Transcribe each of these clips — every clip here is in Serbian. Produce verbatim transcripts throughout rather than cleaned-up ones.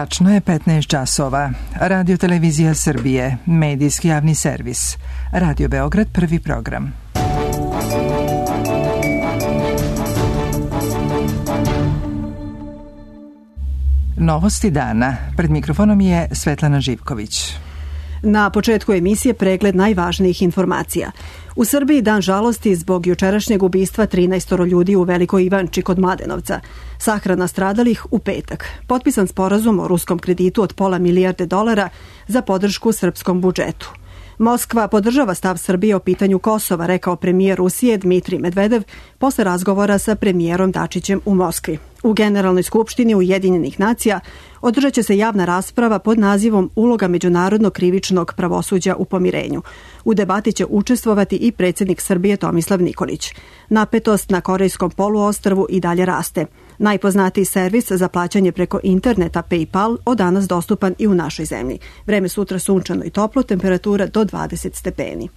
Tačno je petnaest časova. Radio Televizija Srbije, medijski javni servis. Radio Beograd, prvi program. Novosti dana. Pred mikrofonom je Svetlana Živković. Na početku emisije pregled najvažnijih informacija. U Srbiji dan žalosti zbog jučerašnjeg ubistva trinaestoro ljudi u Velikoj Ivanči kod Mladenovca. Sahrana stradalih u petak. Potpisan sporazum o ruskom kreditu od pola milijarde dolara za podršku srpskom budžetu. Moskva podržava stav Srbije o pitanju Kosova, rekao premijer Rusije Dmitrij Medvedev posle razgovora sa premijerom Dačićem u Moskvi. U Generalnoj skupštini Ujedinjenih nacija održat će se javna rasprava pod nazivom Uloga međunarodnog krivičnog pravosuđa u pomirenju. U debati će učestvovati i predsjednik Srbije Tomislav Nikolić. Napetost na Korejskom poluostrvu i dalje raste. Najpoznatiji servis za plaćanje preko interneta PayPal od danas dostupan i u našoj zemlji. Vreme sutra sunčano i toplo, temperatura do dvadeset stepeni.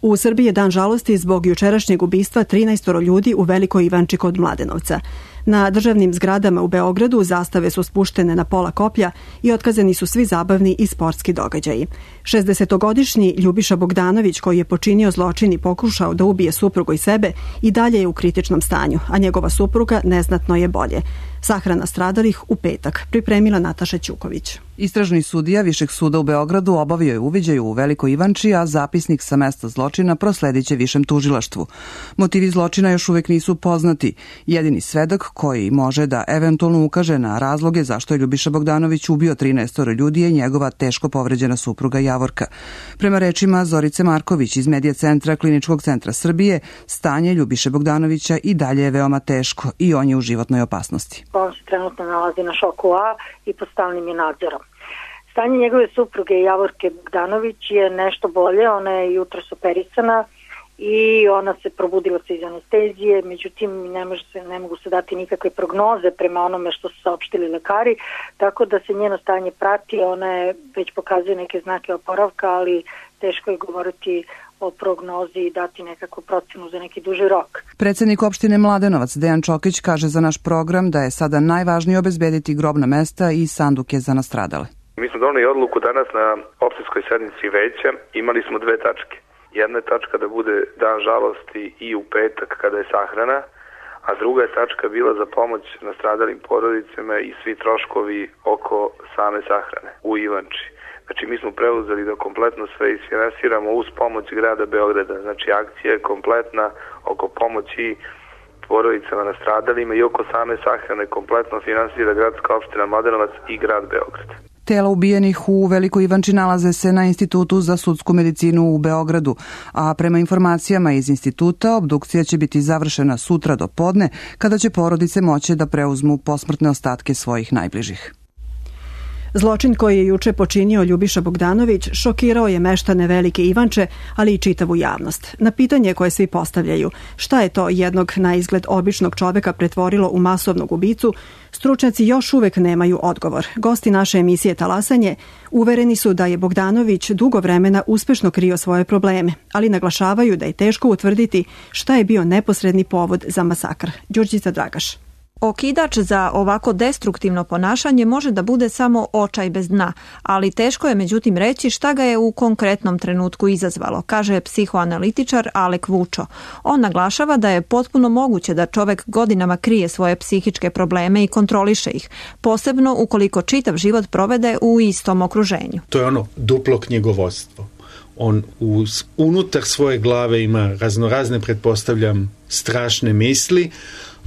U Srbiji je dan žalosti zbog jučerašnjeg ubistva trinaestoro ljudi u Velikoj Ivanči kod Mladenovca. Na državnim zgradama u Beogradu zastave su spuštene na pola koplja i otkazani su svi zabavni i sportski događaji. šezdesetogodišnji Ljubiša Bogdanović, koji je počinio zločin i pokušao da ubije suprugu i sebe, i dalje je u kritičnom stanju, a njegova supruga neznatno je bolje. Sahrana stradalih u petak, pripremila Nataša Ćuković. Istražni sudija Višeg suda u Beogradu obavio je uviđaj u Velikoj Ivanči, a zapisnik sa mesta zločina prosledit će višem tužilaštvu. Motivi zločina još uvek nisu poznati. Jedini svedok koji može da eventualno ukaže na razloge zašto je Ljubiša Bogdanović ubio trinaestoro ljudi je njegova teško povređena supruga Javorka. Prema rečima Zorice Marković iz Medija centra Kliničkog centra Srbije, stanje Ljubiše Bogdanovića i dalje je veoma teško i on je u životnoj opasnosti. On se trenutno nalazi na šoku A i pod stalnim je nadzorom. Stanje njegove supruge Javorke Bogdanović je nešto bolje, ona je jutros operisana i ona se probudila se iz anestezije, međutim ne, može se, ne mogu se dati nikakve prognoze prema onome što su saopštili lekari, tako da se njeno stanje prati, ona je već pokazuje neke znake oporavka, ali teško je govoriti o prognozi i dati nekakvu procenu za neki duži rok. Predsjednik opštine Mladenovac Dejan Čokić kaže za naš program da je sada najvažnije obezbediti grobna mesta i sanduke za nastradale. Mi smo doneli odluku danas na opštinskoj sednici veća, imali smo dve tačke. Jedna je tačka da bude dan žalosti i u petak kada je sahrana, a druga je tačka bila za pomoć nastradalim porodicama i svi troškovi oko same sahrane u Ivanči. Znači mi smo preuzeli da kompletno sve isfinansiramo uz pomoć grada Beograda. Znači akcija je kompletna oko pomoći porodicama nastradalima i oko same sahrane kompletno finansira gradska opština Mladenovac i grad Beograd. Tela ubijenih u Velikoj Ivanči nalaze se na Institutu za sudsku medicinu u Beogradu, a prema informacijama iz instituta obdukcija će biti završena sutra do podne, kada će porodice moći da preuzmu posmrtne ostatke svojih najbližih. Zločin koji je juče počinio Ljubiša Bogdanović šokirao je meštane Velike Ivanče, ali i čitavu javnost. Na pitanje koje svi postavljaju, šta je to jednog na izgled običnog čoveka pretvorilo u masovnog ubicu, stručnjaci još uvek nemaju odgovor. Gosti naše emisije Talasanje uvereni su da je Bogdanović dugo vremena uspešno krio svoje probleme, ali naglašavaju da je teško utvrditi šta je bio neposredni povod za masakr. Đurđica Dragaš. Okidač za ovako destruktivno ponašanje može da bude samo očaj bez dna, ali teško je međutim reći šta ga je u konkretnom trenutku izazvalo, kaže psihoanalitičar Alek Vučo. On naglašava da je potpuno moguće da čovek godinama krije svoje psihičke probleme i kontroliše ih, posebno ukoliko čitav život provede u istom okruženju. To je ono duplo knjigovodstvo. On uz, unutar svoje glave ima raznorazne, pretpostavljam, strašne misli,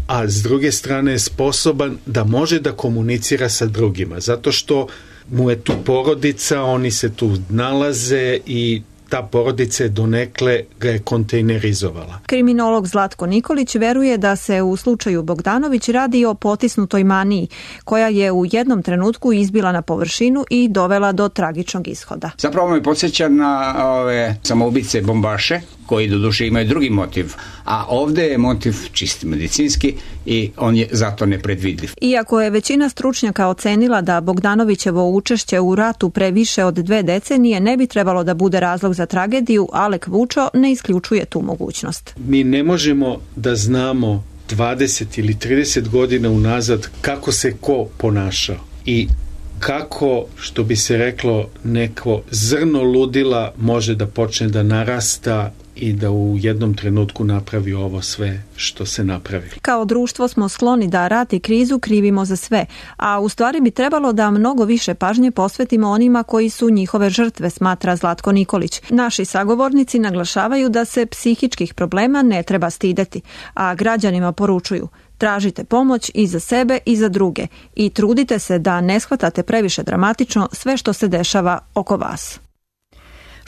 a s druge strane je sposoban da može da komunicira sa drugima, zato što mu je tu porodica, oni se tu nalaze i ta porodica je donekle ga je kontejnerizovala. Kriminolog Zlatko Nikolić veruje da se u slučaju Bogdanović radi o potisnutoj maniji, koja je u jednom trenutku izbila na površinu i dovela do tragičnog ishoda. Zapravo me podsjeća na ove samoubice bombaše, koji doduše imaju drugi motiv, a ovde je motiv čisti medicinski i on je zato nepredvidljiv. Iako je većina stručnjaka ocenila da Bogdanovićevo učešće u ratu pre više od dve decenije ne bi trebalo da bude razlog za tragediju, Alek Vučo ne isključuje tu mogućnost. Mi ne možemo da znamo dvadeset ili trideset godina unazad kako se ko ponašao i kako, što bi se reklo, neko zrno ludila može da počne da narasta i da u jednom trenutku napravi ovo sve što se napravi. Kao društvo smo skloni da rat i krizu krivimo za sve, a u stvari bi trebalo da mnogo više pažnje posvetimo onima koji su njihove žrtve, smatra Zlatko Nikolić. Naši sagovornici naglašavaju da se psihičkih problema ne treba stideti, a građanima poručuju: tražite pomoć i za sebe i za druge i trudite se da ne shvatate previše dramatično sve što se dešava oko vas.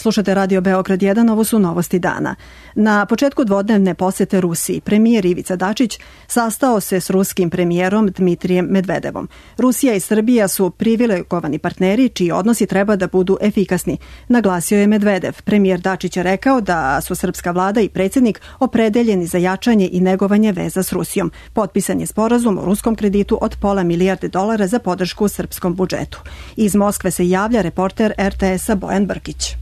Slušate Radio Beograd jedan, ovo su novosti dana. Na početku dvodnevne posete Rusiji, premijer Ivica Dačić sastao se s ruskim premijerom Dmitrijem Medvedevom. Rusija i Srbija su privilegovani partneri čiji odnosi treba da budu efikasni, naglasio je Medvedev. Premijer Dačić je rekao da su srpska vlada i predsjednik opredeljeni za jačanje i negovanje veza s Rusijom. Potpisan je sporazum o ruskom kreditu od pola milijarde dolara za podršku srpskom budžetu. Iz Moskve se javlja reporter er te esa Bojan Brkić.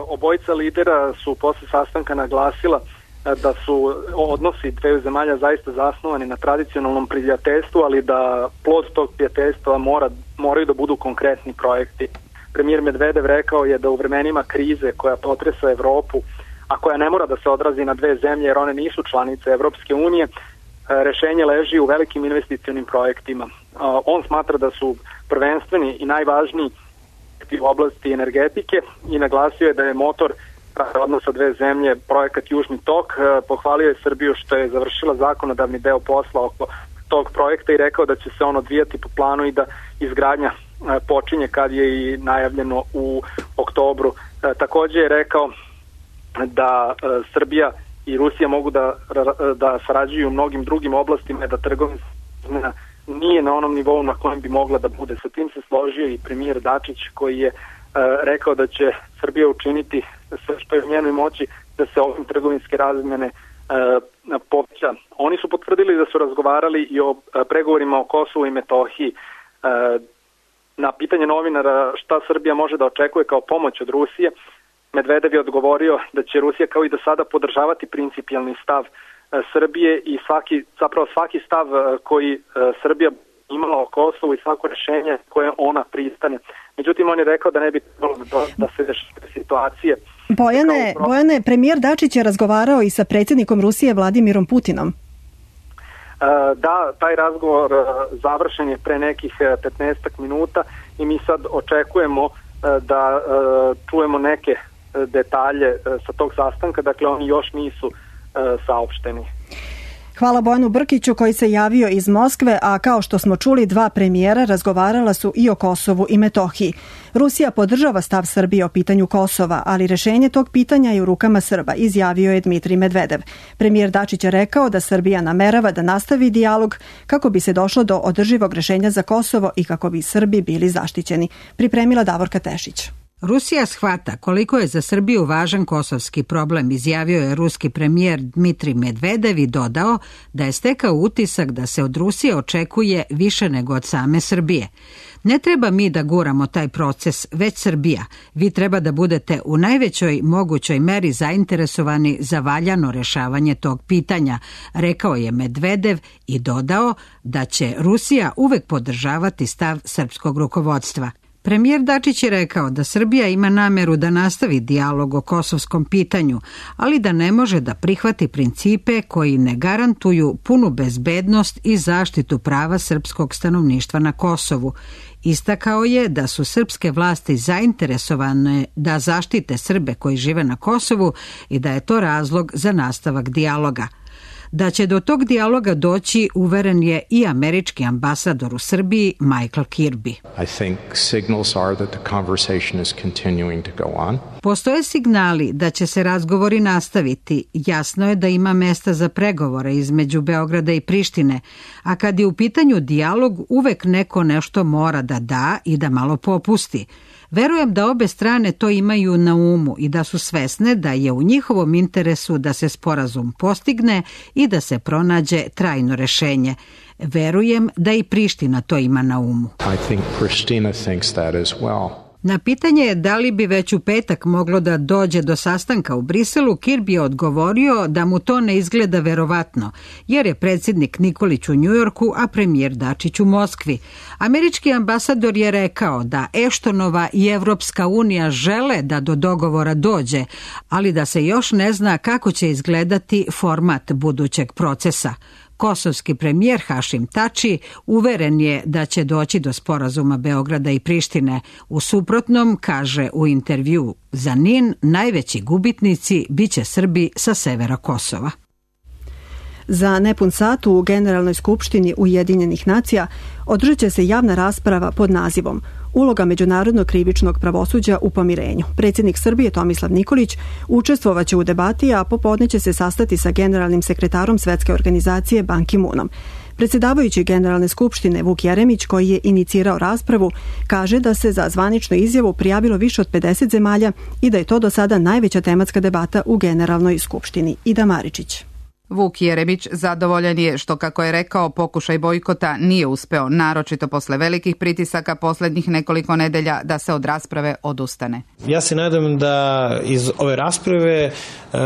Obojica lidera su posle sastanka naglasila da su odnosi dveju zemalja zaista zasnovani na tradicionalnom prijateljstvu, ali da plod tog prijateljstva mora, moraju da budu konkretni projekti. Premijer Medvedev rekao je da u vremenima krize koja potresa Evropu, a koja ne mora da se odrazi na dve zemlje jer one nisu članice Evropske unije, rešenje leži u velikim investicionim projektima. On smatra da su prvenstveni i najvažniji u oblasti energetike i naglasio je da je motor odnosa dve zemlje projekat Južni tok. Pohvalio je Srbiju što je završila zakonodavni deo posla oko tog projekta i rekao da će se on odvijati po planu i da izgradnja počinje kad je i najavljeno u oktobru. Također je rekao da Srbija i Rusija mogu da, da sarađuju u mnogim drugim oblastima, da trgovinska nije na onom nivou na kojem bi mogla da bude. Sa tim se složio i premijer Dačić koji je uh, rekao da će Srbija učiniti sve što je u njenoj moći da se ovim trgovinske razmjene uh, poveća. Oni su potvrdili da su razgovarali i o uh, pregovorima o Kosovu i Metohiji. Uh, na pitanje novinara šta Srbija može da očekuje kao pomoć od Rusije, Medvedev je odgovorio da će Rusija kao i do sada podržavati principijelni stav Srbije i svaki, zapravo svaki stav koji Srbija imala o Kosovu i svako rješenje koje ona pristane. Međutim, on je rekao da ne bi trebalo da se deše situacije. Bojane, Bojane, premijer Dačić je razgovarao i sa predsjednikom Rusije Vladimirom Putinom. Da, taj razgovor završen je pre nekih petnaestak minuta i mi sad očekujemo da čujemo neke detalje sa tog sastanka, dakle oni još nisu saopšteni. Hvala Bojanu Brkiću koji se javio iz Moskve, a kao što smo čuli, dva premijera razgovarala su i o Kosovu i Metohiji. Rusija podržava stav Srbije o pitanju Kosova, ali rešenje tog pitanja je u rukama Srba, izjavio je Dmitrij Medvedev. Premijer Dačić je rekao da Srbija namerava da nastavi dijalog kako bi se došlo do održivog rešenja za Kosovo i kako bi Srbi bili zaštićeni. Pripremila Davorka Tešić. Rusija shvata koliko je za Srbiju važan kosovski problem, izjavio je ruski premijer Dmitrij Medvedev i dodao da je stekao utisak da se od Rusije očekuje više nego od same Srbije. Ne treba mi da guramo taj proces, već Srbija. Vi treba da budete u najvećoj mogućoj meri zainteresovani za valjano rešavanje tog pitanja, rekao je Medvedev i dodao da će Rusija uvek podržavati stav srpskog rukovodstva. Premijer Dačić je rekao da Srbija ima nameru da nastavi dijalog o kosovskom pitanju, ali da ne može da prihvati principe koji ne garantuju punu bezbednost i zaštitu prava srpskog stanovništva na Kosovu. Istakao je da su srpske vlasti zainteresovane da zaštite Srbe koji žive na Kosovu i da je to razlog za nastavak dijaloga. Da će do tog dijaloga doći, uveren je i američki ambasador u Srbiji Michael Kirby. I think signals are that the conversation is continuing to go on. Postoje signali da će se razgovori nastaviti. Jasno je da ima mesta za pregovore između Beograda i Prištine, a kad je u pitanju dijalog, uvek neko nešto mora da da i da malo popusti. Verujem da obe strane to imaju na umu i da su svesne da je u njihovom interesu da se sporazum postigne i da se pronađe trajno rešenje. Verujem da i Priština to ima na umu. I think Pristina thinks that as well. Na pitanje da li bi već u petak moglo da dođe do sastanka u Briselu, Kirby je odgovorio da mu to ne izgleda verovatno, jer je predsjednik Nikolić u Njujorku, a premijer Dačić u Moskvi. Američki ambasador je rekao da Eštonova i Evropska unija žele da do dogovora dođe, ali da se još ne zna kako će izgledati format budućeg procesa. Kosovski premijer Hašim Tači uveren je da će doći do sporazuma Beograda i Prištine. U suprotnom, kaže u intervju za N I N, najveći gubitnici biće Srbi sa severa Kosova. Za nepun sat u Generalnoj skupštini Ujedinjenih nacija održat će se javna rasprava pod nazivom Uloga međunarodnog krivičnog pravosuđa u pomirenju. Predsjednik Srbije Tomislav Nikolić učestvovaće u debati, a popodne će se sastati sa generalnim sekretarom Svetske organizacije Ban Ki-moonom. Predsjedavajući Generalne skupštine Vuk Jeremić, koji je inicirao raspravu, kaže da se za zvaničnu izjavu prijavilo više od pedeset zemalja i da je to do sada najveća tematska debata u Generalnoj skupštini. Ida Maričić. Vuk Jeremić zadovoljan je što, kako je rekao, pokušaj bojkota nije uspeo, naročito posle velikih pritisaka posljednjih nekoliko nedelja da se od rasprave odustane. Ja se nadam da iz ove rasprave e,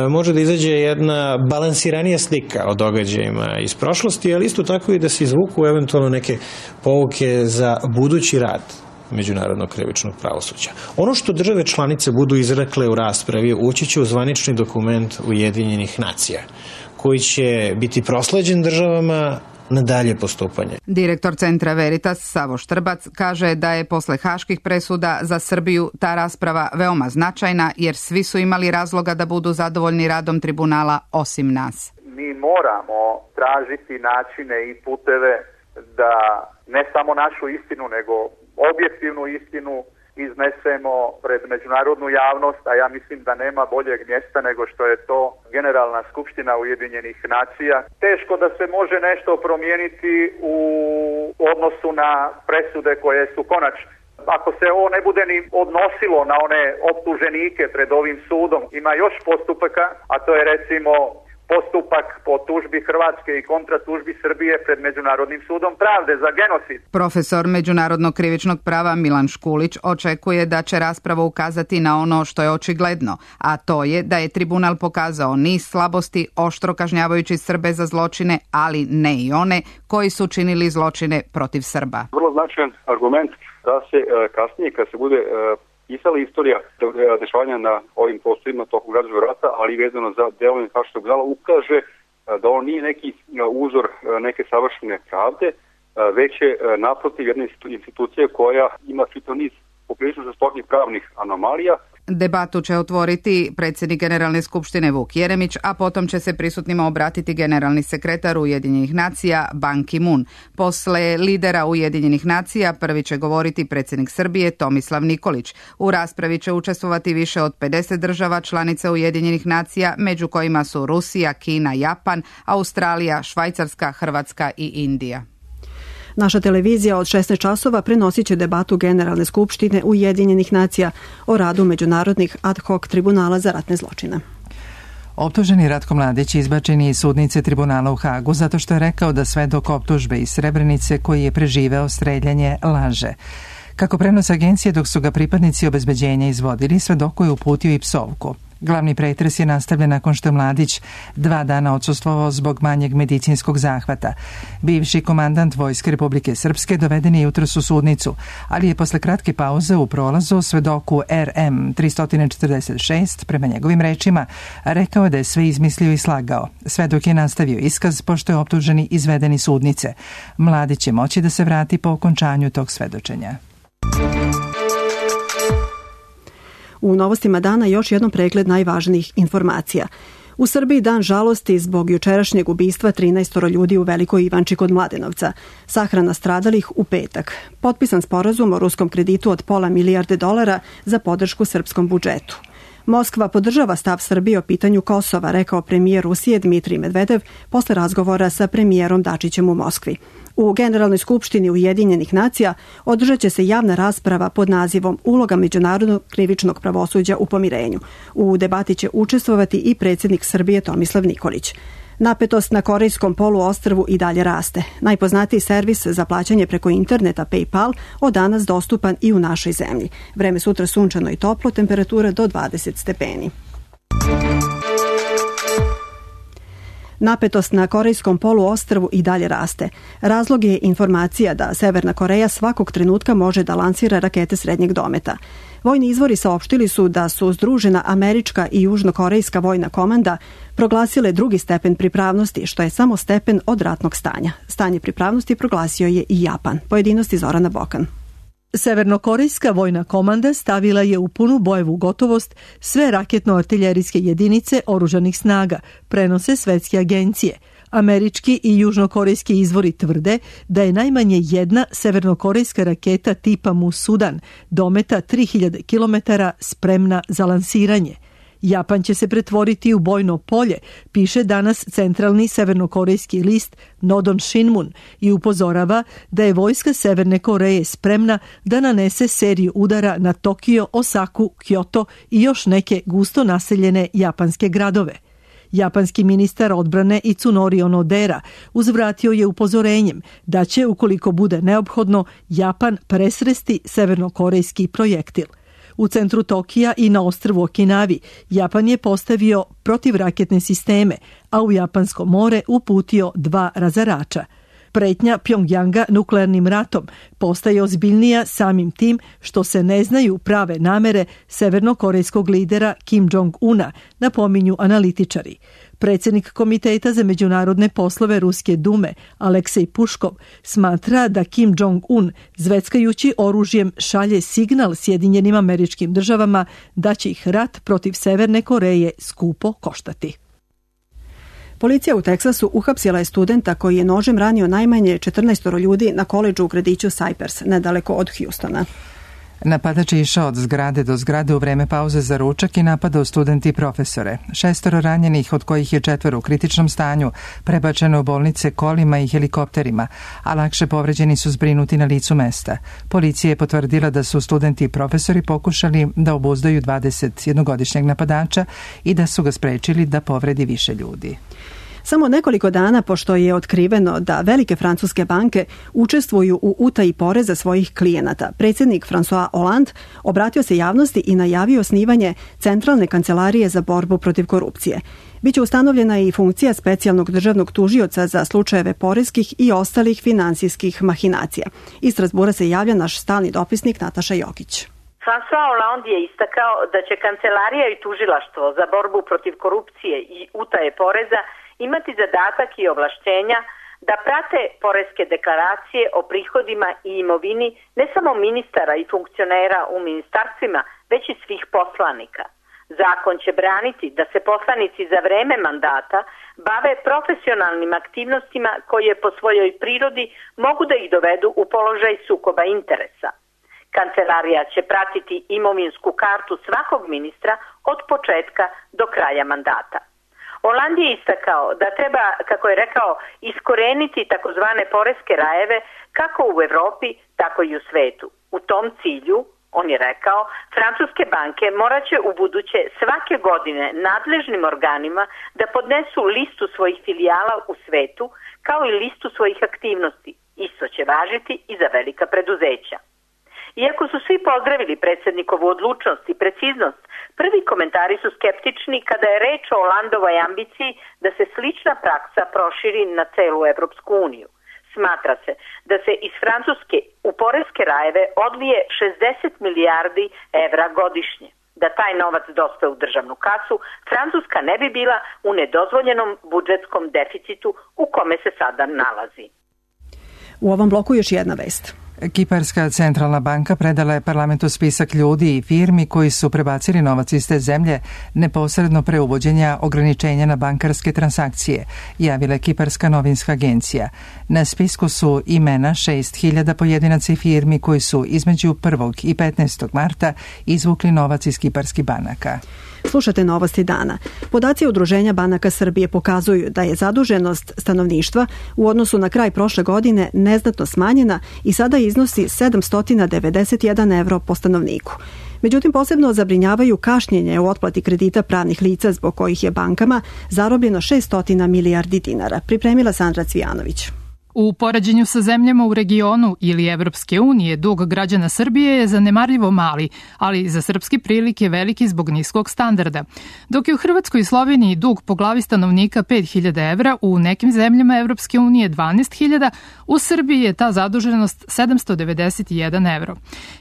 može da izađe jedna balansiranija slika o događajima iz prošlosti, ali isto tako i da se izvuku eventualno neke pouke za budući rad međunarodnog krivičnog pravosuđa. Ono što države članice budu izrekle u raspravi ući će u zvanični dokument Ujedinjenih nacija, koji će biti prosleđen državama na dalje postupanje. Direktor Centra Veritas Savo Štrbac kaže da je posle haških presuda za Srbiju ta rasprava veoma značajna, jer svi su imali razloga da budu zadovoljni radom tribunala osim nas. Mi moramo tražiti načine i puteve da ne samo našu istinu, nego objektivnu istinu iznesemo pred međunarodnu javnost, a ja mislim da nema boljeg mjesta nego što je to Generalna skupština Ujedinjenih nacija. Teško da se može nešto promijeniti u odnosu na presude koje su konačne. Ako se ovo ne bude ni odnosilo na one optuženike pred ovim sudom, ima još postupaka, a to je recimo postupak po tužbi Hrvatske i kontratužbi Srbije pred Međunarodnim sudom pravde za genocid. Profesor međunarodnog krivičnog prava Milan Škulić očekuje da će rasprava ukazati na ono što je očigledno, a to je da je tribunal pokazao niz slabosti, oštro kažnjavajući Srbe za zločine, ali ne i one koji su činili zločine protiv Srba. Vrlo značajan argument da se kasnije, kad se bude pisala istorija dešavanja na ovim prostorima tokom građanskog rata, ali vezano za delovanje Haškog tribunala, ukaže da on nije neki uzor neke savršene pravde, već je naprotiv jedna institucija koja ima čitav niz poprilično žestokih pravnih anomalija. Debatu će otvoriti predsjednik Generalne skupštine Vuk Jeremić, a potom će se prisutnima obratiti generalni sekretar Ujedinjenih nacija Ban Ki-moon. Posle lidera Ujedinjenih nacija prvi će govoriti predsjednik Srbije Tomislav Nikolić. U raspravi će učestvovati više od pedeset država članica Ujedinjenih nacija, među kojima su Rusija, Kina, Japan, Australija, Švajcarska, Hrvatska i Indija. Naša televizija od šesnaest časova prenosit će debatu Generalne skupštine Ujedinjenih nacija o radu međunarodnih ad hoc tribunala za ratne zločine. Optuženi Ratko Mladić izbačen je iz sudnice tribunala u Hagu zato što je rekao da svedok optužbe iz Srebrenice koji je preživeo streljanje laže. Kako prenos agencije, dok su ga pripadnici obezbeđenja izvodili, svedoku je uputio i psovku. Glavni pretres je nastavljen nakon što je Mladić dva dana odsustvovao zbog manjeg medicinskog zahvata. Bivši komandant Vojske Republike Srpske doveden je jutros u sudnicu, ali je posle kratke pauze u prolazu svedoku R M tristo četrdeset šest, prema njegovim rečima, rekao da je sve izmislio i slagao. Svedok je nastavio iskaz pošto je optuženi izveden iz sudnice. Mladić će moći da se vrati po okončanju tog svedočenja. U novostima dana još jednom pregled najvažnijih informacija. U Srbiji dan žalosti zbog jučerašnjeg ubistva trinaest ljudi u Velikoj Ivanči kod Mladenovca. Sahrana stradalih u petak. Potpisan sporazum o ruskom kreditu od pola milijarde dolara za podršku srpskom budžetu. Moskva podržava stav Srbije o pitanju Kosova, rekao premijer Rusije Dmitrij Medvedev posle razgovora sa premijerom Dačićem u Moskvi. U Generalnoj skupštini Ujedinjenih nacija održat će se javna rasprava pod nazivom Uloga međunarodnog krivičnog pravosuđa u pomirenju. U debati će učestvovati i predsjednik Srbije Tomislav Nikolić. Napetost na korejskom poluostrvu i dalje raste. Najpoznatiji servis za plaćanje preko interneta PayPal od danas dostupan i u našoj zemlji. Vreme sutra sunčano i toplo, temperatura do dvadeset stepeni. Napetost na korejskom poluostrvu i dalje raste. Razlog je informacija da Severna Koreja svakog trenutka može da lansira rakete srednjeg dometa. Vojni izvori saopštili su da su združena američka i južnokorejska vojna komanda proglasile drugi stepen pripravnosti, što je samo stepen od ratnog stanja. Stanje pripravnosti proglasio je i Japan. Pojedinosti Zorana Bokan. Severnokorejska vojna komanda stavila je u punu bojevu gotovost sve raketno-artiljerijske jedinice oružanih snaga, prenose svetske agencije. Američki i južnokorejski izvori tvrde da je najmanje jedna severnokorejska raketa tipa Musudan dometa tri hiljade kilometara spremna za lansiranje. Japan će se pretvoriti u bojno polje, piše danas centralni severnokorejski list Nodon Shinmun i upozorava da je vojska Severne Koreje spremna da nanese seriju udara na Tokio, Osaku, Kyoto i još neke gusto naseljene japanske gradove. Japanski ministar odbrane Itsunori Onodera uzvratio je upozorenjem da će, ukoliko bude neophodno, Japan presresti severnokorejski projektil. U centru Tokija i na ostrvu Okinavi Japan je postavio protivraketne sisteme, a u Japansko more uputio dva razarača. Pretnja Pjongjanga nuklearnim ratom postaje ozbiljnija samim tim što se ne znaju prave namere severnokorejskog lidera Kim Jong-una, napominju analitičari. Predsjednik Komiteta za međunarodne poslove Ruske dume, Aleksej Puškov, smatra da Kim Jong-un zveckajući oružjem šalje signal Sjedinjenim Američkim Državama da će ih rat protiv Severne Koreje skupo koštati. Policija u Teksasu uhapsila je studenta koji je nožem ranio najmanje četrnaestoro ljudi na koledžu u gradiću Cypress, nedaleko od Houstona. Napadač je išao od zgrade do zgrade u vreme pauze za ručak i napadao studenti i profesore. Šestoro ranjenih, od kojih je četvoro u kritičnom stanju, prebačeno u bolnice kolima i helikopterima, a lakše povređeni su zbrinuti na licu mesta. Policija je potvrdila da su studenti i profesori pokušali da obuzdaju dvadesetjednogodišnjeg napadača i da su ga sprečili da povredi više ljudi. Samo nekoliko dana pošto je otkriveno da velike francuske banke učestvuju u utaji poreza svojih klijenata, predsjednik François Hollande obratio se javnosti i najavio osnivanje Centralne kancelarije za borbu protiv korupcije. Biće ustanovljena i funkcija specijalnog državnog tužioca za slučajeve poreskih i ostalih finansijskih mahinacija. Iz Strasbura se javlja naš stalni dopisnik Nataša Jokić. François Hollande je istakao da će kancelarija i tužilaštvo za borbu protiv korupcije i utaje poreza imati zadatak i ovlašćenja da prate poreske deklaracije o prihodima i imovini ne samo ministara i funkcionera u ministarstvima, već i svih poslanika. Zakon će braniti da se poslanici za vreme mandata bave profesionalnim aktivnostima koje po svojoj prirodi mogu da ih dovedu u položaj sukoba interesa. Kancelarija će pratiti imovinsku kartu svakog ministra od početka do kraja mandata. Hollande je istakao da treba, kako je rekao, iskoreniti takozvane poreske rajeve kako u Evropi, tako i u svetu. U tom cilju, on je rekao, francuske banke morat će u buduće svake godine nadležnim organima da podnesu listu svojih filijala u svetu kao i listu svojih aktivnosti. Isto će važiti i za velika preduzeća. Iako su svi pozdravili predsjednikovu odlučnost i preciznost, prvi komentari su skeptični kada je reč o Hollandovoj ambiciji da se slična praksa proširi na celu Evropsku uniju. Smatra se da se iz Francuske u poreske rajeve odlije šezdeset milijardi evra godišnje. Da taj novac dospe u državnu kasu, Francuska ne bi bila u nedozvoljenom budžetskom deficitu u kome se sada nalazi. U ovom bloku još jedna vest. Kiparska centralna banka predala je parlamentu spisak ljudi i firmi koji su prebacili novac iz te zemlje neposredno pre uvođenja ograničenja na bankarske transakcije, javila je Kiparska novinska agencija. Na spisku su imena šest hiljada pojedinaca i firmi koji su između prvog i petnaestog marta izvukli novac iz kiparskih banaka. Slušate Novosti dana. Podaci Udruženja banaka Srbije pokazuju da je zaduženost stanovništva u odnosu na kraj prošle godine neznatno smanjena i sada iznosi sedamsto devedeset jedan evro po stanovniku. Međutim, posebno zabrinjavaju kašnjenje u otplati kredita pravnih lica zbog kojih je bankama zarobljeno šesto milijardi dinara. Pripremila Sandra Cvijanović. U poređenju sa zemljama u regionu ili Evropske unije, dug građana Srbije je zanemarljivo mali, ali za srpski prilike veliki zbog niskog standarda. Dok je u Hrvatskoj i Sloveniji dug po glavi stanovnika pet hiljada evra, u nekim zemljama Evropske unije dvanaest hiljada, u Srbiji je ta zaduženost sedamsto devedeset jedan evro.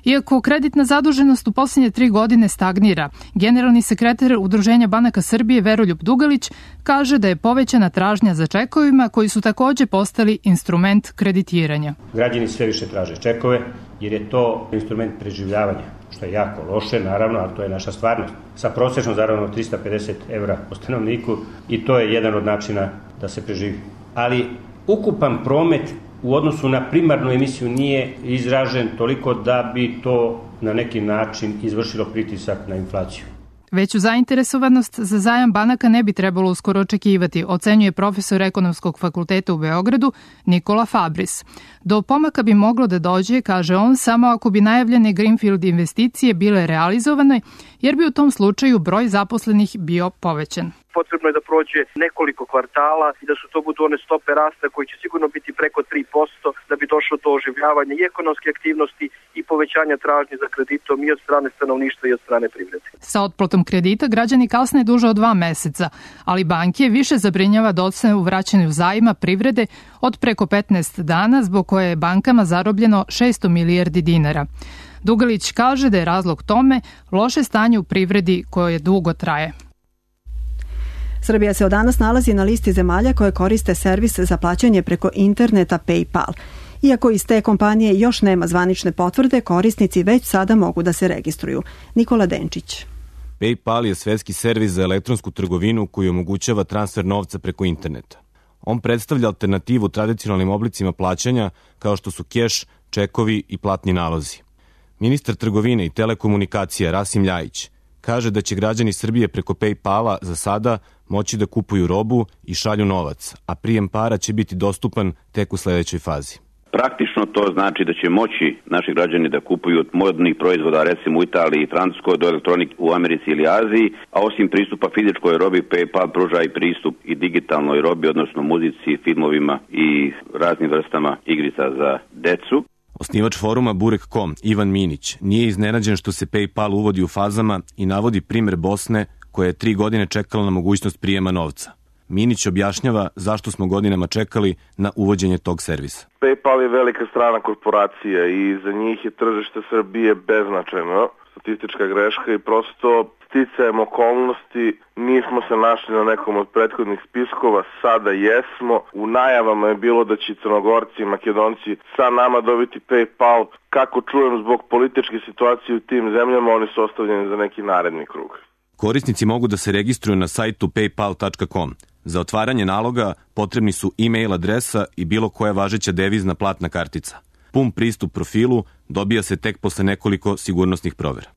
Iako kreditna zaduženost u posljednje tri godine stagnira, generalni sekretar Udruženja banaka Srbije Veroljub Dugalić kaže da je povećana tražnja za čekovima koji su takođe postali instrument kreditiranja. Građani sve više traže čekove jer je to instrument preživljavanja, što je jako loše, naravno, ali to je naša stvarnost. Sa prosječnom zaradom trista pedeset evra po stanovniku i to je jedan od načina da se preživi. Ali ukupan promet u odnosu na primarnu emisiju nije izražen toliko da bi to na neki način izvršilo pritisak na inflaciju. Veću zainteresovanost za zajam banaka ne bi trebalo uskoro očekivati, ocenjuje profesor Ekonomskog fakulteta u Beogradu Nikola Fabris. Do pomaka bi moglo da dođe, kaže on, samo ako bi najavljene Greenfield investicije bile realizovane, jer bi u tom slučaju broj zaposlenih bio povećan. Potrebno je da prođe nekoliko kvartala i da su to budu one stope rasta koji će sigurno biti preko tri posto da bi došlo do oživljavanja i ekonomske aktivnosti i povećanja tražnje za kreditom i od strane stanovništva i od strane privrede. Sa otplatom kredita građani kasne duže od dva meseca, ali banke više zabrinjava docne u vraćanju zajma privrede od preko petnaest dana, zbog koje je bankama zarobljeno šesto milijardi dinara. Dugalić kaže da je razlog tome loše stanje u privredi koje dugo traje. Srbija se od danas nalazi na listi zemalja koje koriste servis za plaćanje preko interneta PayPal. Iako iz te kompanije još nema zvanične potvrde, korisnici već sada mogu da se registruju. Nikola Denčić. PayPal je svetski servis za elektronsku trgovinu koji omogućava transfer novca preko interneta. On predstavlja alternativu tradicionalnim oblicima plaćanja kao što su keš, čekovi i platni nalozi. Ministar trgovine i telekomunikacija Rasim Ljajić kaže da će građani Srbije preko PayPala za sada moći da kupuju robu i šalju novac, a prijem para će biti dostupan tek u sledećoj fazi. Praktično to znači da će moći naši građani da kupuju od modnih proizvoda, recimo u Italiji i Francuskoj, do elektronik u Americi ili Aziji, a osim pristupa fizičkoj robi, PayPal pruža i pristup i digitalnoj robi, odnosno muzici, filmovima i raznim vrstama igrica za decu. Osnivač foruma Burek точка ком Ivan Minić nije iznenađen što se PayPal uvodi u fazama i navodi primer Bosne koja je tri godine čekala na mogućnost prijema novca. Minić objašnjava zašto smo godinama čekali na uvođenje tog servisa. PayPal je velika strana korporacija i za njih je tržište Srbije beznačajno, statistička greška i prosto sticajem okolnosti nismo se našli na nekom od prethodnih spiskova, sada jesmo. U najavama je bilo da će Crnogorci i Makedonci sa nama dobiti PayPal. Kako čujem, zbog političke situacije u tim zemljama oni su ostavljeni za neki naredni krug. Korisnici mogu da se registruju na sajtu paypal точка ком. Za otvaranje naloga potrebni su e-mail adresa i bilo koja važeća devizna platna kartica. Pun pristup profilu dobija se tek posle nekoliko sigurnosnih provera.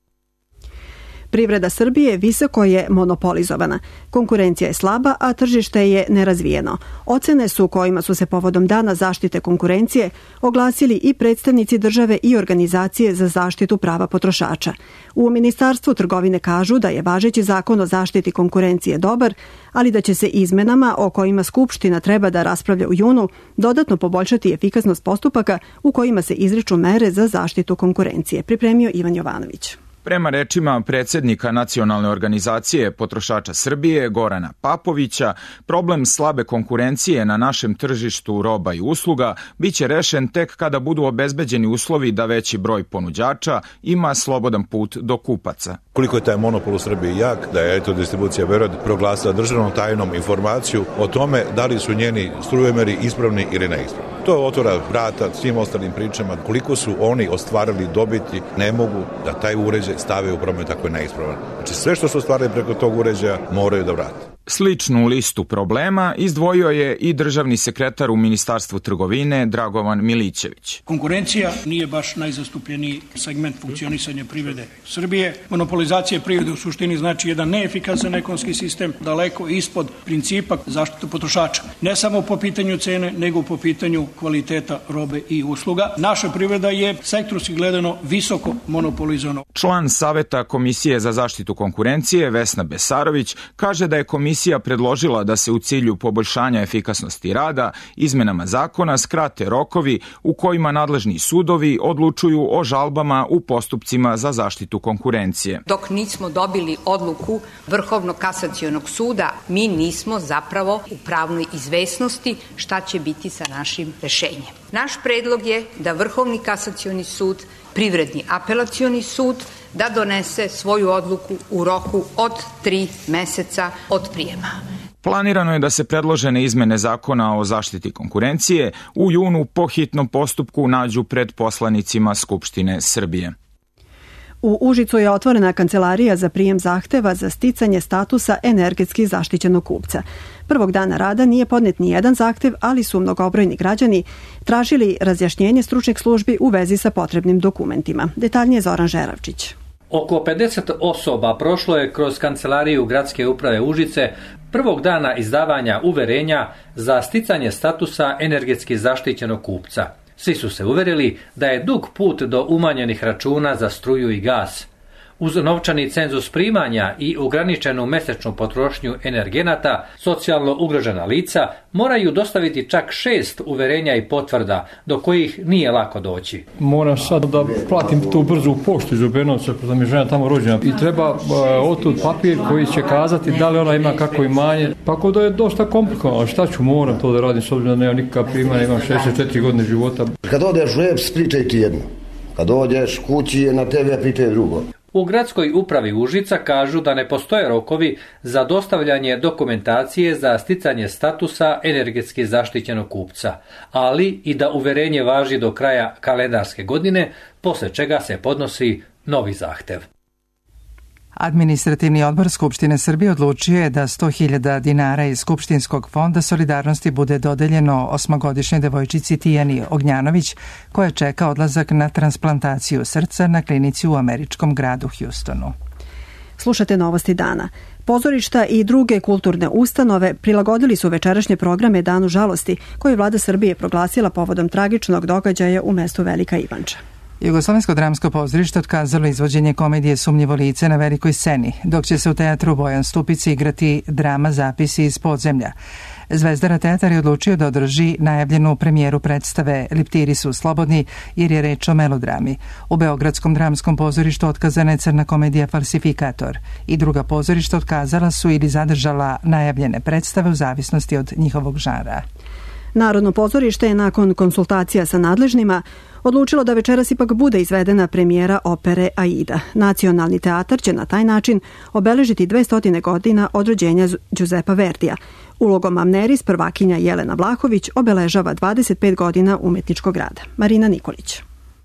Privreda Srbije visoko je monopolizovana. Konkurencija je slaba, a tržište je nerazvijeno. Ocene su kojima su se povodom Dana zaštite konkurencije oglasili i predstavnici države i organizacije za zaštitu prava potrošača. U Ministarstvu trgovine kažu da je važeći zakon o zaštiti konkurencije dobar, ali da će se izmenama o kojima Skupština treba da raspravlja u junu dodatno poboljšati efikasnost postupaka u kojima se izriču mere za zaštitu konkurencije. Pripremio Ivan Jovanović. Prema rečima predsjednika Nacionalne organizacije potrošača Srbije Gorana Papovića, problem slabe konkurencije na našem tržištu roba i usluga biće rešen tek kada budu obezbeđeni uslovi da veći broj ponuđača ima slobodan put do kupaca. Koliko je taj monopol u Srbiji jak, da je Elektrodistribucija Beograd proglasila državnom tajnom informaciju o tome da li su njeni strujomeri ispravni ili neispravni. To otvara vrata svim ostalim pričama. Koliko su oni ostvarili dobiti, ne mogu da taj uređaj stave u promet ako je neispravan. Znači sve što su ostvarili preko tog uređaja moraju da vrate. Sličnu listu problema izdvojio je i državni sekretar u Ministarstvu trgovine Dragovan Milićević. Konkurencija nije baš najzastupljeniji segment funkcionisanja privrede Srbije. Monopolizacija privrede u suštini znači jedan neefikasan ekonomski sistem, daleko ispod principa zaštite potrošača. Ne samo po pitanju cene, nego po pitanju kvaliteta robe i usluga. Naša privreda je sektorski gledano visoko monopolizovana. Član Saveta Komisije za zaštitu konkurencije Vesna Besarović kaže da je komisija predložila da se u cilju poboljšanja efikasnosti rada izmenama zakona skrate rokovi u kojima nadležni sudovi odlučuju o žalbama u postupcima za zaštitu konkurencije. Dok nismo dobili odluku Vrhovnog kasacionog suda, mi nismo zapravo u pravnoj izvesnosti šta će biti sa našim rešenjem. Naš predlog je da Vrhovni kasacioni sud, Privredni apelacioni sud, da donese svoju odluku u roku od tri meseca od prijema. Planirano je da se predložene izmene zakona o zaštiti konkurencije u junu po hitnom postupku nađu pred poslanicima Skupštine Srbije. U Užicu je otvorena kancelarija za prijem zahteva za sticanje statusa energetski zaštićenog kupca. Prvog dana rada nije podnet ni jedan zahtev, ali su mnogobrojni građani tražili razjašnjenje stručnih službi u vezi sa potrebnim dokumentima. Detaljnije Zoran Žeravčić. Oko pedeset osoba prošlo je kroz kancelariju Gradske uprave Užice prvog dana izdavanja uverenja za sticanje statusa energetski zaštićenog kupca. Svi su se uverili da je dug put do umanjenih računa za struju i gas. Uz novčani cenzus primanja i ograničenu mesečnu potrošnju energenata, socijalno ugrožena lica moraju dostaviti čak šest uverenja i potvrda do kojih nije lako doći. Moram sad da platim tu brzu poštu iz Obenovca, da mi je žena tamo rođena. I treba uh, otud papir koji će kazati da li ona ima kako imanje. Pa ako da je dosta komplikovano, šta ću, moram to da radim s obzirom da nema nikakva primanja, imam šezdeset četiri godine života. Kad odeš u E P S, pričaj ti jedno. Kad dođeš kući na te ve pričaj drugo. U Gradskoj upravi Užica kažu da ne postoje rokovi za dostavljanje dokumentacije za sticanje statusa energetski zaštićenog kupca, ali i da uverenje važi do kraja kalendarske godine, posle čega se podnosi novi zahtev. Administrativni odbor Skupštine Srbije odlučio je da sto hiljada dinara iz Skupštinskog fonda solidarnosti bude dodeljeno osmogodišnjoj devojčici Tijani Ognjanović, koja čeka odlazak na transplantaciju srca na klinici u američkom gradu Houstonu. Slušate Novosti dana. Pozorišta i druge kulturne ustanove prilagodili su večerašnje programe Danu žalosti, koje je vlada Srbije proglasila povodom tragičnog događaja u mestu Velika Ivanča. Jugoslovensko dramsko pozorište otkazalo izvođenje komedije Sumnjivo lice na velikoj sceni, dok će se u teatru Bojan Stupici igrati drama Zapisi iz podzemlja. Zvezdara teatar je odlučio da održi najavljenu premijeru predstave Liptiri su slobodni, jer je reč o melodrami. U Beogradskom dramskom pozorištu otkazana je crna komedija Falsifikator i druga pozorišta otkazala su ili zadržala najavljene predstave u zavisnosti od njihovog žara. Narodno pozorište je nakon konsultacija sa nadležnima odlučilo da večeras ipak bude izvedena premijera opere Aida. Nacionalni teatar će na taj način obeležiti dvesta godina od rođenja Giuseppa Verdija. Ulogom Amneris prvakinja Jelena Vlahović obeležava dvadeset pet godina umetničkog rada. Marina Nikolić.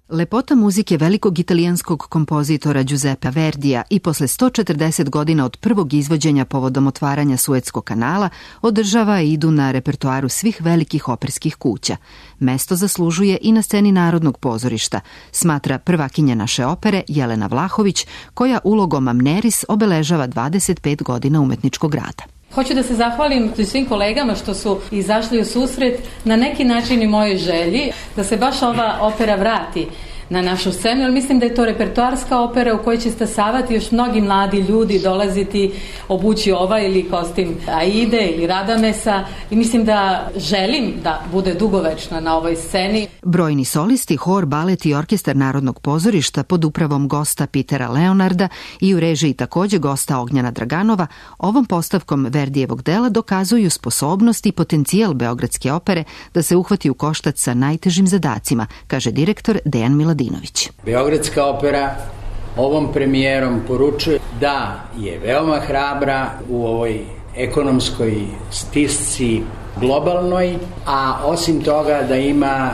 Lepota muzike velikog italijanskog kompozitora Giuseppa Verdija i posle sto četrdeset godina od prvog izvođenja povodom otvaranja Suetskog kanala održava Idu na repertoaru svih velikih operskih kuća. Mesto zaslužuje i na sceni Narodnog pozorišta, smatra prvakinja naše opere Jelena Vlahović, koja ulogom Amneris obeležava dvadeset pet godina umetničkog rada. Hoću da se zahvalim svim kolegama što su izašli u susret na neki način i mojoj želji da se baš ova opera vrati na našu scenu, jer mislim da je to repertoarska opera u kojoj će stasavati još mnogi mladi ljudi, dolaziti, obući ovaj ili kostim Aide ili Radamesa i mislim da želim da bude dugovečna na ovoj sceni. Brojni solisti, hor, balet i orkestar Narodnog pozorišta pod upravom gosta Pitera Leonarda i u režiji takođe gosta Ognjana Draganova ovom postavkom Verdijevog dela dokazuju sposobnost i potencijal Beogradske opere da se uhvati u koštac sa najtežim zadacima, kaže direktor Dejan Miladinović. Beogradska opera ovom premijerom poručuje da je veoma hrabra u ovoj ekonomskoj stisci globalnoj, a osim toga da ima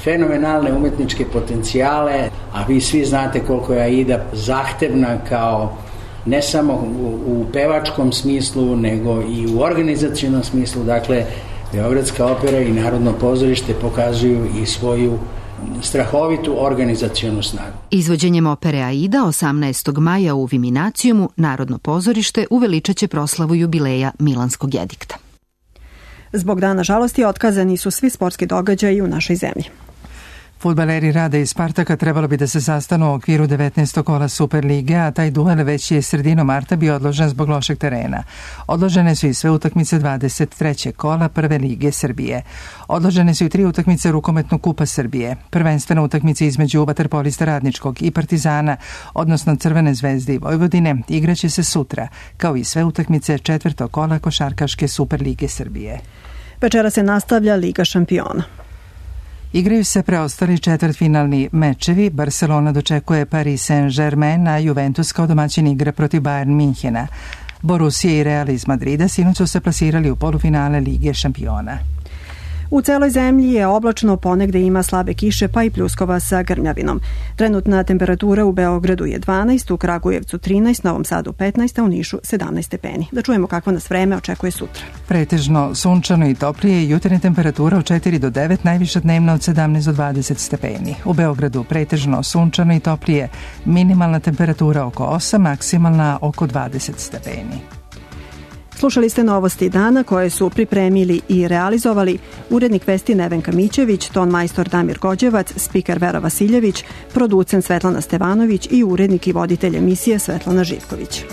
fenomenalne umetničke potencijale, a vi svi znate koliko je Aida zahtevna kao ne samo u, u pevačkom smislu, nego i u organizacionom smislu. Dakle, Beogradska opera i Narodno pozorište pokazuju i svoju strahovitu organizacionu snagu. Izvođenjem opere Aida osamnaestog maja u Viminacijumu Narodno pozorište uveličaće proslavu jubileja Milanskog edikta. Zbog dana žalosti otkazani su svi sportski događaji u našoj zemlji. Fudbaleri Rada i Spartaka trebalo bi da se sastanu u okviru devetnaestog kola Superlige, a taj duel već je sredinom marta bio odložen zbog lošeg terena. Odložene su i sve utakmice dvadeset trećeg kola Prve lige Srbije. Odložene su i tri utakmice Rukometnog kupa Srbije. Prvenstvena utakmica između vaterpolista Radničkog i Partizana, odnosno Crvene zvezde i Vojvodine, igraće se sutra, kao i sve utakmice četvrtog kola Košarkaške Superlige Srbije. Večera se nastavlja Liga šampiona. Igraju se preostali četvrtfinalni mečevi. Barcelona dočekuje Paris Saint-Germain, a Juventus kao domaćin igra protiv Bayern Minhena. Borussia i Real iz Madrida sinoć su se plasirali u polufinale Lige šampiona. U celoj zemlji je oblačno, ponegde ima slabe kiše pa i pljuskova sa grmljavinom. Trenutna temperatura u Beogradu je dvanaest, u Kragujevcu trinaest, Novom Sadu petnaest, a u Nišu sedamnaest stepeni. Da čujemo kakvo nas vreme očekuje sutra. Pretežno sunčano i toplije, jutarnja temperatura od četiri do devet, najviša dnevna od sedamnaest do dvadeset stepeni. U Beogradu pretežno sunčano i toplije, minimalna temperatura oko osam, maksimalna oko dvadeset stepeni. Slušali ste novosti dana koje su pripremili i realizovali urednik vesti Nevenka Mićević, ton majstor Damir Gođevac, spiker Vera Vasiljević, producent Svetlana Stevanović i urednik i voditelj emisije Svetlana Živković.